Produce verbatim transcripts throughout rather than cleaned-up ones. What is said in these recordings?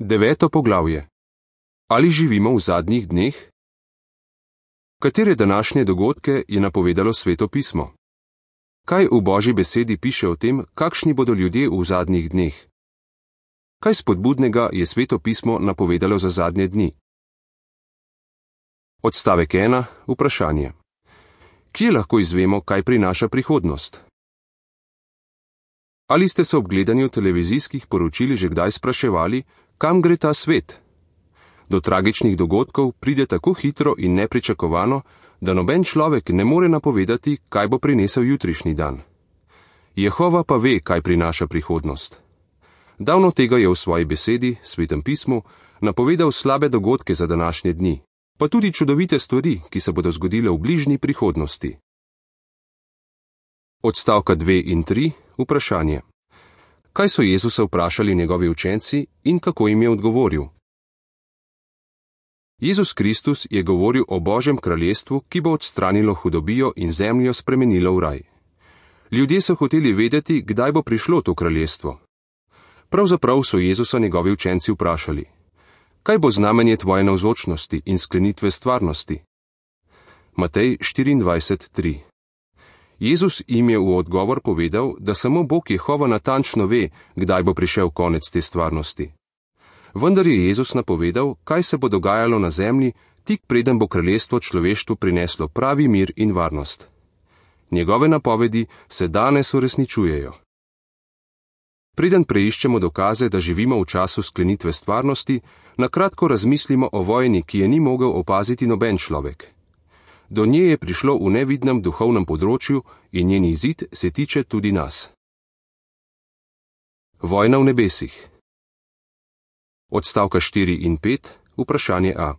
Deveto poglavje. Ali živimo v zadnjih dneh? Katere današnje dogodke je napovedalo Sveto pismo? Kaj v Božji besedi piše o tem, kakšni bodo ljudje v zadnjih dneh? Kaj spodbudnega je Sveto pismo napovedalo za zadnje dni? Odstavek ena. Vprašanje. Kje lahko izvemo, kaj prinaša prihodnost? Ali ste se ob gledanju televizijskih poročil že kdaj spraševali, kam gre ta svet? Do tragičnih dogodkov pride tako hitro in nepričakovano, da noben človek ne more napovedati, kaj bo prinesel jutrišnji dan. Jehova pa ve, kaj prinaša prihodnost. Davno tega je v svoji besedi, Svetem pismu, napovedal slabe dogodke za današnje dni, pa tudi čudovite stvari, ki se bodo zgodile v bližnji prihodnosti. Odstavka dve in tri. Vprašanje. Kaj so Jezusa vprašali njegovi učenci in kako jim je odgovoril? Jezus Kristus je govoril o Božjem kraljestvu, ki bo odstranilo hudobijo in zemljo spremenilo v raj. Ljudje so hoteli vedeti, kdaj bo prišlo to kraljestvo. Pravzaprav so Jezusa njegovi učenci vprašali: kaj bo znamenje tvoje navzočnosti in sklenitve stvarnosti? Matej štiriindvajset tri. Jezus jim je v odgovor povedal, da samo Bog Jehova natančno ve, kdaj bo prišel konec te stvarnosti. Vendar je Jezus napovedal, kaj se bo dogajalo na zemlji, tik preden bo kraljestvo človeštvu prineslo pravi mir in varnost. Njegove napovedi se danes uresničujejo. Preden preiščemo dokaze, da živimo v času sklenitve stvarnosti, na kratko razmislimo o vojni, ki je ni mogel opaziti noben človek. Do nje je prišlo v nevidnem duhovnem področju in njen izid se tiče tudi nas. Vojna v nebesih. Odstavka štiri in pet. Vprašanje A.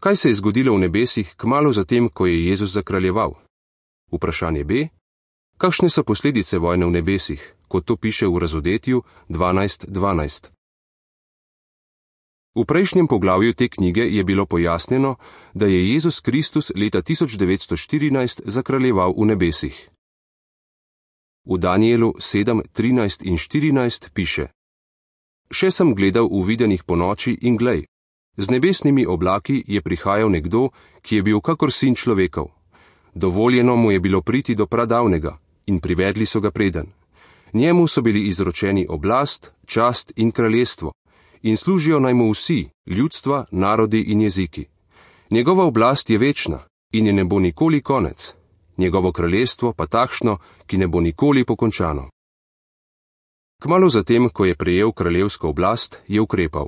Kaj se je zgodilo v nebesih kmalu zatem, ko je Jezus zakraljeval? Vprašanje B. Kakšne so posledice vojne v nebesih, kot to piše v Razodetju dvanajst dvanajst? V prejšnjem poglavju te knjige je bilo pojasnjeno, da je Jezus Kristus leta tisoč devetsto štirinajst zakraljeval v nebesih. V Danielu sedem trinajst in štirinajst piše: Še sem gledal v videnih ponoči in glej, z nebesnimi oblaki je prihajal nekdo, ki je bil kakor sin človekov. Dovoljeno mu je bilo priti do pradavnega in privedli so ga preden. Njemu so bili izročeni oblast, čast in kraljestvo, in služijo naj mu vsi, ljudstva, narodi in jeziki. Njegova oblast je večna in je ne bo nikoli konec, njegovo kraljestvo pa takšno, ki ne bo nikoli pokončano. Kmalu zatem, ko je prejel kraljevsko oblast, je ukrepal.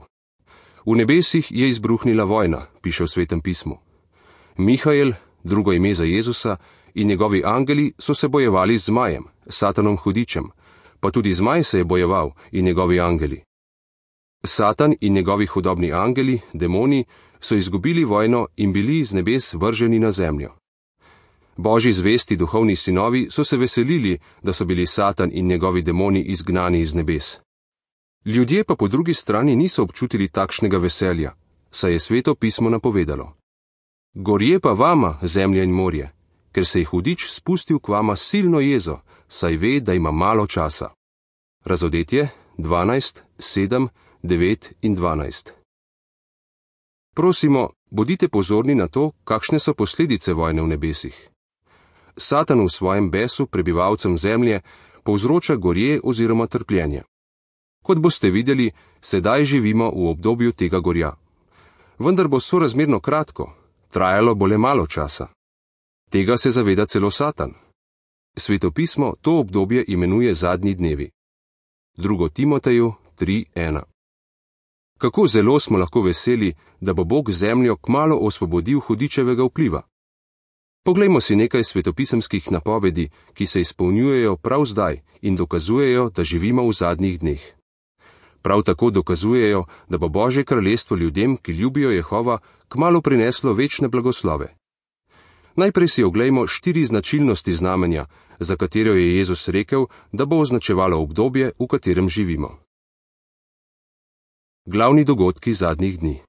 V nebesih je izbruhnila vojna, piše v Svetem pismu. Mihael, drugo ime za Jezusa, in njegovi angeli so se bojevali z zmajem, Satanom hudičem, pa tudi zmaj se je bojeval in njegovi angeli. Satan in njegovi hudobni angeli, demoni, so izgubili vojno in bili z nebes vrženi na zemljo. Božji zvesti duhovni sinovi so se veselili, da so bili Satan in njegovi demoni izgnani iz nebes. Ljudje pa po drugi strani niso občutili takšnega veselja, saj je Sveto pismo napovedalo: Gorje pa vama, zemlja in morje, ker se je hudič spustil k vama silno jezo, saj ve, da ima malo časa. Razodetje dvanajst sedem devet in dvanajst. Prosimo, bodite pozorni na to, kakšne so posledice vojne v nebesih. Satan v svojem besu prebivalcem zemlje povzroča gorje oziroma trpljenje. Kot boste videli, sedaj živimo v obdobju tega gorja. Vendar bo sorazmerno kratko, trajalo bo le malo časa. Tega se zaveda celo Satan. Sveto pismo to obdobje imenuje zadnji dnevi. drugo Timoteju tri ena. Kako zelo smo lahko veseli, da bo Bog zemljo kmalu osvobodil hudičevega vpliva. Poglejmo si nekaj svetopisemskih napovedi, ki se izpolnjujejo prav zdaj in dokazujejo, da živimo v zadnjih dneh. Prav tako dokazujejo, da bo Božje kraljestvo ljudem, ki ljubijo Jehova, kmalu prineslo večne blagoslove. Najprej si oglejmo štiri značilnosti znamenja, za katero je Jezus rekel, da bo označevalo obdobje, v katerem živimo. Glavni dogodki zadnjih dni.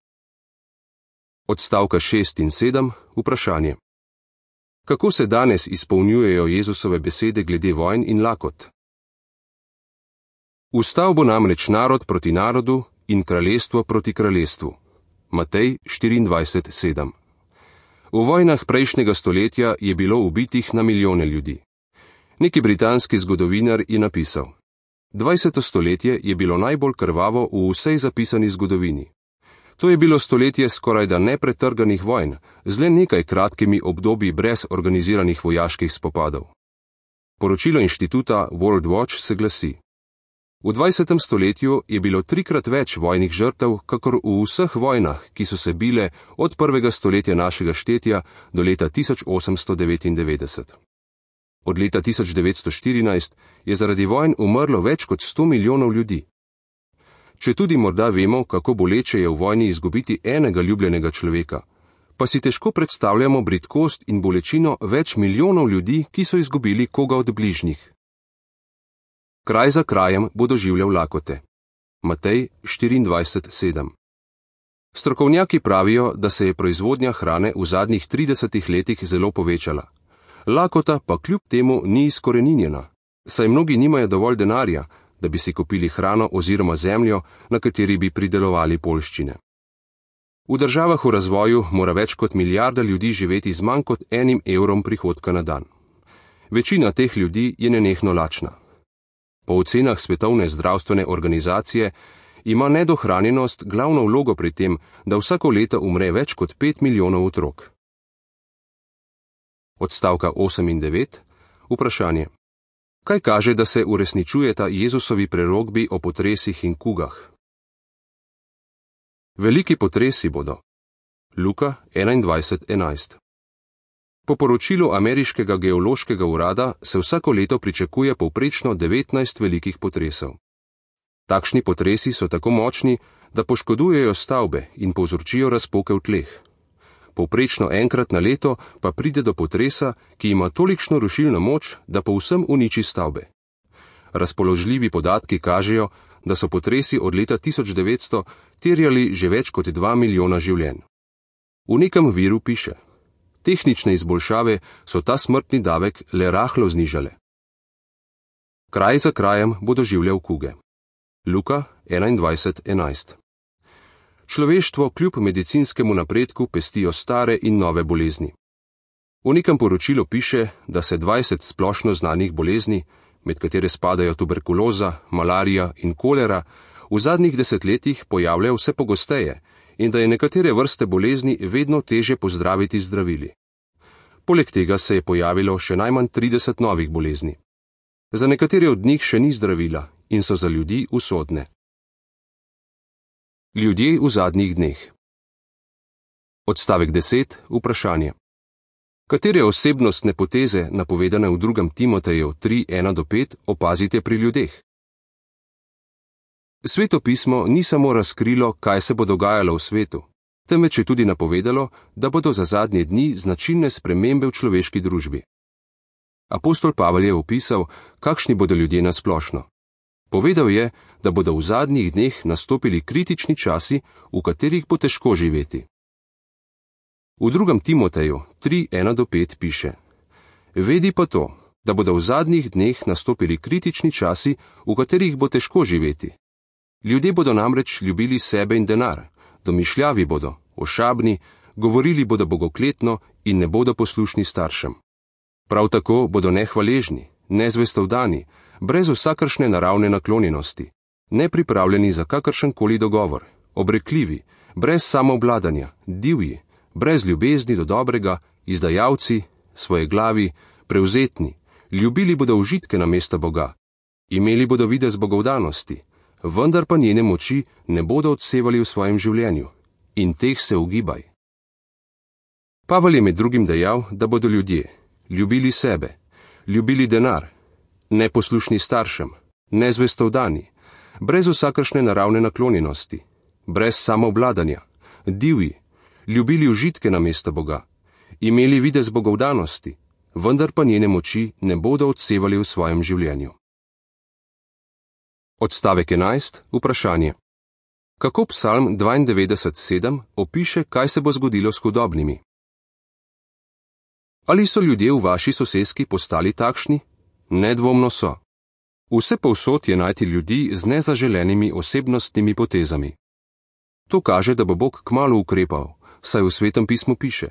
Odstavka šest in sedem. Vprašanje. Kako se danes izpolnjujejo Jezusove besede glede vojn in lakot? Vstal bo namreč narod proti narodu in kraljestvo proti kraljestvu. Matej štiriindvajset sedem. V vojnah prejšnjega stoletja je bilo ubitih na milijone ljudi. Neki britanski zgodovinar je napisal: dvajseto stoletje je bilo najbolj krvavo v vsej zapisani zgodovini. To je bilo stoletje skorajda nepretrganih vojn, z le nekaj kratkimi obdobji brez organiziranih vojaških spopadov. Poročilo inštituta World Watch se glasi: v dvajsetem stoletju je bilo trikrat več vojnih žrtev, kakor v vseh vojnah, ki so se bile od prvega stoletja našega štetja do leta tisoč osemsto devetindevetdeset. Od leta tisoč devetsto štirinajst je zaradi vojn umrlo več kot sto milijonov ljudi. Če tudi morda vemo, kako boleče je v vojni izgubiti enega ljubljenega človeka, pa si težko predstavljamo bridkost in bolečino več milijonov ljudi, ki so izgubili koga od bližnjih. Kraj za krajem bo doživljal lakote. Matej štiriindvajset sedem. Strokovnjaki pravijo, da se je proizvodnja hrane v zadnjih tridesetih letih zelo povečala. Lakota pa kljub temu ni izkoreninjena, saj mnogi nimajo dovolj denarja, da bi si kupili hrano oziroma zemljo, na kateri bi pridelovali poljščine. V državah v razvoju mora več kot milijarda ljudi živeti z manj kot enim evrom prihodka na dan. Večina teh ljudi je nenehno lačna. Po ocenah Svetovne zdravstvene organizacije ima nedohranjenost glavno vlogo pri tem, da vsako leto umre več kot pet milijonov otrok. Odstavka osem in devet. Vprašanje. Kaj kaže, da se uresničujeta Jezusovi prerokbi o potresih in kugah? Veliki potresi bodo. Luka enaindvajset enajst. Po poročilu ameriškega geološkega urada se vsako leto pričakuje povprečno devetnajst velikih potresov. Takšni potresi so tako močni, da poškodujejo stavbe in povzročijo razpoke v tleh. Povprečno enkrat na leto pa pride do potresa, ki ima tolikšno rušilno moč, da povsem uniči stavbe. Razpoložljivi podatki kažejo, da so potresi od leta tisoč devetsto terjali že več kot dva milijona življenj. V nekem viru piše: tehnične izboljšave so ta smrtni davek le rahlo znižale. Kraj za krajem bo doživljal kuge. Luka enaindvajset enajst. Človeštvo kljub medicinskemu napredku pestijo stare in nove bolezni. V nekem poročilu piše, da se dvajset splošno znanih bolezni, med katere spadajo tuberkuloza, malarija in kolera, v zadnjih desetletjih pojavljajo vse pogosteje in da je nekatere vrste bolezni vedno teže pozdraviti z zdravili. Poleg tega se je pojavilo še najmanj trideset novih bolezni. Za nekatere od njih še ni zdravila in so za ljudi usodne. Ljudje v zadnjih dneh. Odstavek deset. Vprašanje. Katere osebnostne poteze, napovedane v drugem Timoteju tri ena do pet, opazite pri ljudeh? Sveto pismo ni samo razkrilo, kaj se bo dogajalo v svetu, temveč je tudi napovedalo, da bodo za zadnje dni značilne spremembe v človeški družbi. Apostol Pavel je opisal, kakšni bodo ljudje na splošno. Povedal je, da bodo v zadnjih dneh nastopili kritični časi, v katerih bo težko živeti. V drugem Timoteju tri ena do pet piše: Vedi pa to, da bodo v zadnjih dneh nastopili kritični časi, v katerih bo težko živeti. Ljudje bodo namreč ljubili sebe in denar, domišljavi bodo, ošabni, govorili bodo bogokletno in ne bodo poslušni staršem. Prav tako bodo nehvaležni, nezvestovdani, brez vsakršne naravne naklonjenosti, nepripravljeni za kakršenkoli dogovor, obrekljivi, brez samoobladanja, divji, brez ljubezni do dobrega, izdajalci, svojeglavi, prevzetni, ljubili bodo užitke namesto Boga, imeli bodo videz bogovdanosti, vendar pa njene moči ne bodo odsevali v svojem življenju, in teh se ugibaj. Pavel je med drugim dejal, da bodo ljudje ljubili sebe, ljubili denar, neposlušni staršem, nezvestovdani, brez vsakršne naravne naklonjenosti, brez samoobladanja, divji, ljubili užitke namesto Boga, imeli videz bogovdanosti, vendar pa njene moči ne bodo odsevali v svojem življenju. Odstavek enajst. Vprašanje. Kako Psalm dvaindevetdeset sedem opiše, kaj se bo zgodilo s hudobnimi? Ali so ljudje v vaši soseski postali takšni? Nedvomno so. Vse povsod je najti ljudi z nezaželenimi osebnostnimi potezami. To kaže, da bo Bog kmalu ukrepal, saj v Svetem pismu piše: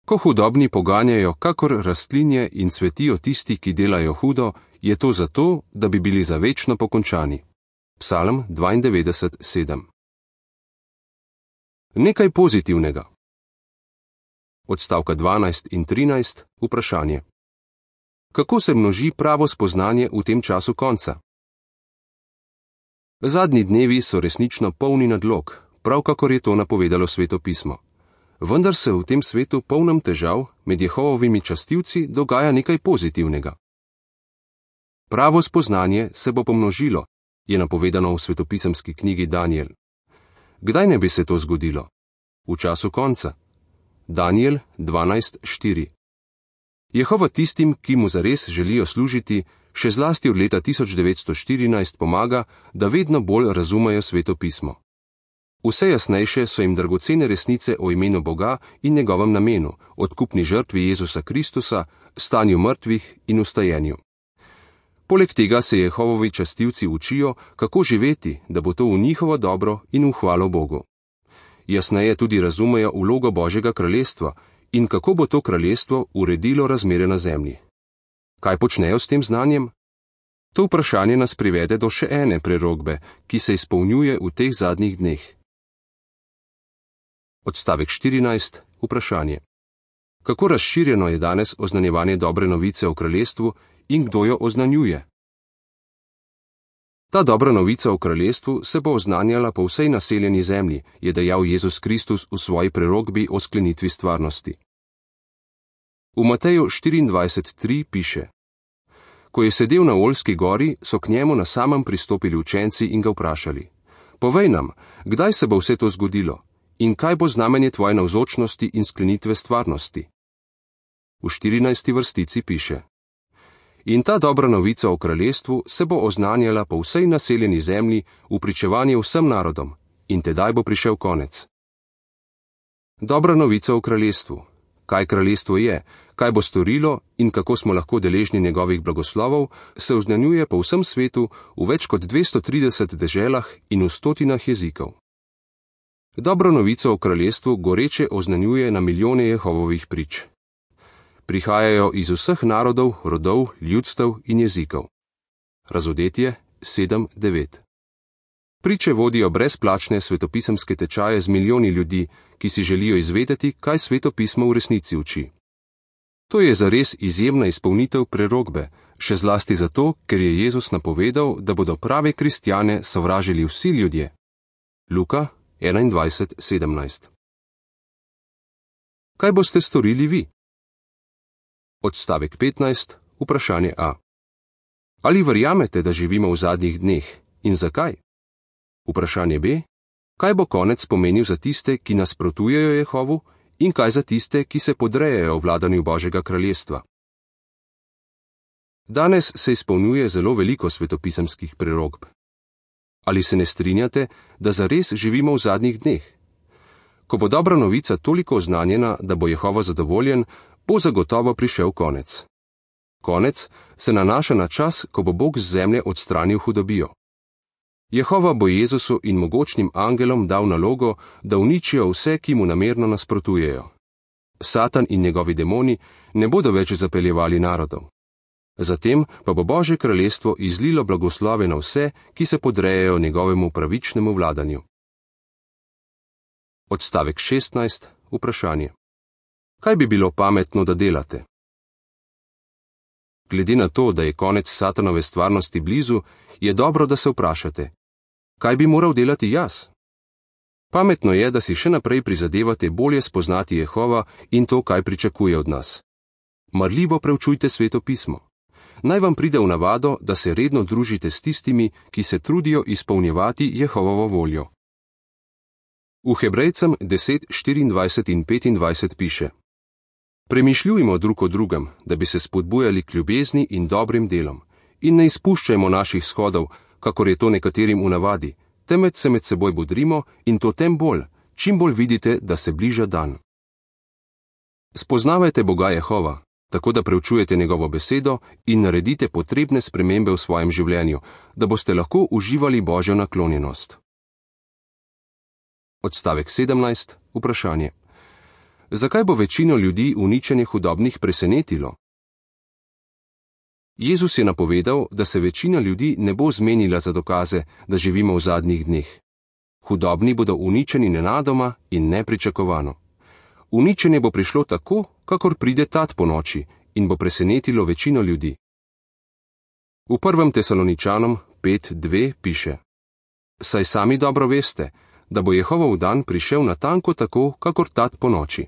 ko hudobni poganjajo kakor rastlinje in cvetijo tisti, ki delajo hudo, je to zato, da bi bili za večno pokončani. Psalm dvaindevetdeset sedem. Nekaj pozitivnega. Odstavka dvanajst in trinajst, vprašanje. Kako se množi pravo spoznanje v tem času konca? Zadnji dnevi so resnično polni nadlog, prav kakor je to napovedalo Sveto pismo. Vendar se v tem svetu polnem težav med Jehovovimi častilci dogaja nekaj pozitivnega. Pravo spoznanje se bo pomnožilo, je napovedano v svetopisemski knjigi Danijel. Kdaj ne bi se to zgodilo? V času konca. Danijel dvanajst štiri. Jehova tistim, ki mu zares želijo služiti, še zlasti od leta tisoč devetsto štirinajst pomaga, da vedno bolj razumejo Sveto pismo. Vse jasnejše so jim dragocene resnice o imenu Boga in njegovem namenu, odkupni žrtvi Jezusa Kristusa, stanju mrtvih in ustajenju. Poleg tega se Jehovovi častilci učijo, kako živeti, da bo to v njihovo dobro in v hvalo Bogu. Jasneje tudi razumejo vlogo Božjega kraljestva in kako bo to kraljestvo uredilo razmere na zemlji. Kaj počnejo s tem znanjem? To vprašanje nas privede do še ene prerokbe, ki se izpolnjuje v teh zadnjih dneh. Odstavek štirinajst, vprašanje. Kako razširjeno je danes oznanjevanje dobre novice o kraljestvu in kdo jo oznanjuje? Ta dobra novica o kraljestvu se bo oznanjala po vsej naseljeni zemlji, je dejal Jezus Kristus v svoji prerokbi o sklenitvi stvarnosti. V Mateju štiriindvajset tri piše: Ko je sedel na Oljski gori, so k njemu na samem pristopili učenci in ga vprašali: Povej nam, kdaj se bo vse to zgodilo in kaj bo znamenje tvoje navzočnosti in sklenitve stvarnosti? V štirinajsti vrstici piše: In ta dobra novica o kraljestvu se bo oznanjala po vsej naseljeni zemlji v pričevanje vsem narodom, in tedaj bo prišel konec. Dobra novica o kraljestvu. Kaj kraljestvo je, kaj bo storilo in kako smo lahko deležni njegovih blagoslovov, se oznanjuje po vsem svetu v več kot dvesto trideset deželah in v stotinah jezikov. Dobro novico o kraljestvu goreče oznanjuje na milijone Jehovovih prič. Prihajajo iz vseh narodov, rodov, ljudstev in jezikov. Razodetje sedem devet. Priče vodijo brezplačne svetopisemske tečaje z milijoni ljudi, ki si želijo izvedeti, kaj Sveto pismo v resnici uči. To je zares izjemna izpolnitev prerokbe, še zlasti zato, ker je Jezus napovedal, da bodo prave kristjane sovražili vsi ljudje. Luka enaindvajset sedemnajst. Kaj boste storili vi? Odstavek petnajst, vprašanje A. Ali verjamete, da živimo v zadnjih dneh in zakaj? Vprašanje B. Kaj bo konec pomenil za tiste, ki nasprotujejo Jehovu, in kaj za tiste, ki se podrejajo vladanju Božjega kraljestva? Danes se izpolnjuje zelo veliko svetopisemskih prerokb. Ali se ne strinjate, da zares živimo v zadnjih dneh? Ko bo dobra novica toliko oznanjena, da bo Jehova zadovoljen, bo zagotovo prišel konec. Konec se nanaša na čas, ko bo Bog z zemlje odstranil hudobijo. Jehova bo Jezusu in mogočnim angelom dal nalogo, da uničijo vse, ki mu namerno nasprotujejo. Satan in njegovi demoni ne bodo več zapeljevali narodov. Zatem pa bo Božje kraljestvo izlilo blagoslove na vse, ki se podrejajo njegovemu pravičnemu vladanju. Odstavek šestnajst, vprašanje. Kaj bi bilo pametno, da delate? Glede na to, da je konec Satanove stvarnosti blizu, je dobro, da se vprašate: kaj bi moral delati jaz? Pametno je, da si še naprej prizadevate bolje spoznati Jehova in to, kaj pričakuje od nas. Marljivo preučujte Sveto pismo. Naj vam pride v navado, da se redno družite s tistimi, ki se trudijo izpolnjevati Jehovovo voljo. V Hebrejcem deset štiriindvajset in petindvajset piše: Premišljujmo drug o drugem, da bi se spodbujali k ljubezni in dobrim delom, in ne izpuščajmo naših shodov, kakor je to nekaterim v navadi, temveč se med seboj bodrimo in to tem bolj, čim bolj vidite, da se bliža dan. Spoznavajte Boga Jehova, tako da preučujete njegovo besedo in naredite potrebne spremembe v svojem življenju, da boste lahko uživali Božjo naklonjenost. Odstavek sedemnajst. Vprašanje. Zakaj bo večino ljudi uničenje hudobnih presenetilo? Jezus je napovedal, da se večina ljudi ne bo zmenila za dokaze, da živimo v zadnjih dneh. Hudobni bodo uničeni nenadoma in nepričakovano. Uničenje bo prišlo tako, kakor pride tat po noči, in bo presenetilo večino ljudi. V prvem Tesaloničanom pet dve piše: Saj sami dobro veste, da bo Jehovov dan prišel natanko tako, kakor tat po noči.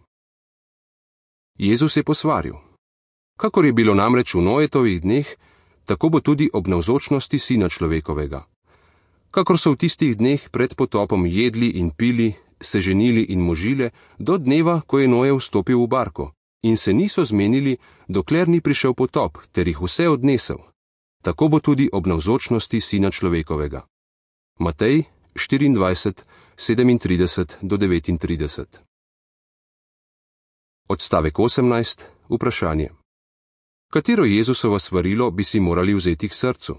Jezus je posvaril: Kakor je bilo namreč v Noetovih dneh, tako bo tudi ob navzočnosti Sina človekovega. Kakor so v tistih dneh pred potopom jedli in pili, se ženili in možile, do dneva, ko je Noe vstopil v barko, in se niso zmenili, dokler ni prišel potop, ter jih vse odnesel. Tako bo tudi ob navzočnosti Sina človekovega. Matej štiriindvajset, sedemintrideset do devetintrideset. Odstavek osemnajst. Vprašanje. Katero Jezusovo svarilo bi si morali vzeti k srcu?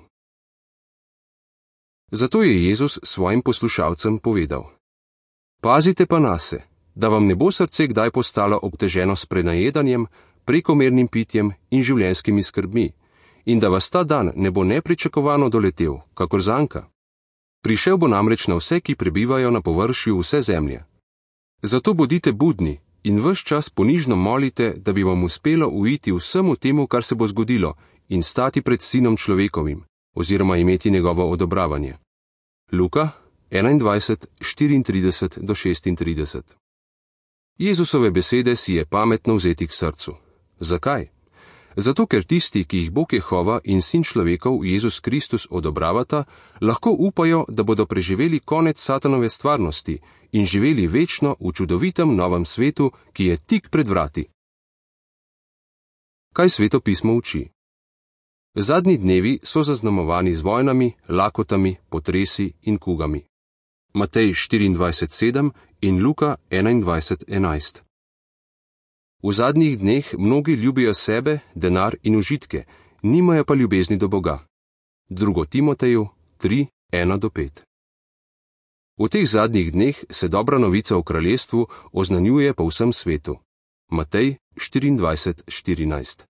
Zato je Jezus svojim poslušalcem povedal: Pazite pa nase, da vam ne bo srce kdaj postalo obteženo s prenajedanjem, prekomernim pitjem in življenjskimi skrbmi, in da vas ta dan ne bo nepričakovano doletel, kakor zanka. Prišel bo namreč na vse, ki prebivajo na površju vse zemlje. Zato bodite budni in ves čas ponižno molite, da bi vam uspelo uiti vsemu temu, kar se bo zgodilo, in stati pred Sinom človekovim, oziroma imeti njegovo odobravanje. Luka enaindvajset, štiriintrideset do šestintrideset. Jezusove besede si je pametno vzeti k srcu. Zakaj? Zato, ker tisti, ki jih Bog Jehova in Sin človekov Jezus Kristus odobravata, lahko upajo, da bodo preživeli konec satanove stvarnosti in živeli večno v čudovitem novem svetu, ki je tik pred vrati. Kaj Sveto pismo uči? Zadnji dnevi so zaznamovani z vojnami, lakotami, potresi in kugami. Matej štiriindvajset sedem in Luka enaindvajset enajst. V zadnjih dneh mnogi ljubijo sebe, denar in užitke, nimajo pa ljubezni do Boga. Drugo Timoteju tri ena do pet. V teh zadnjih dneh se dobra novica o kraljestvu oznanjuje po vsem svetu. Matej štiriindvajset štirinajst.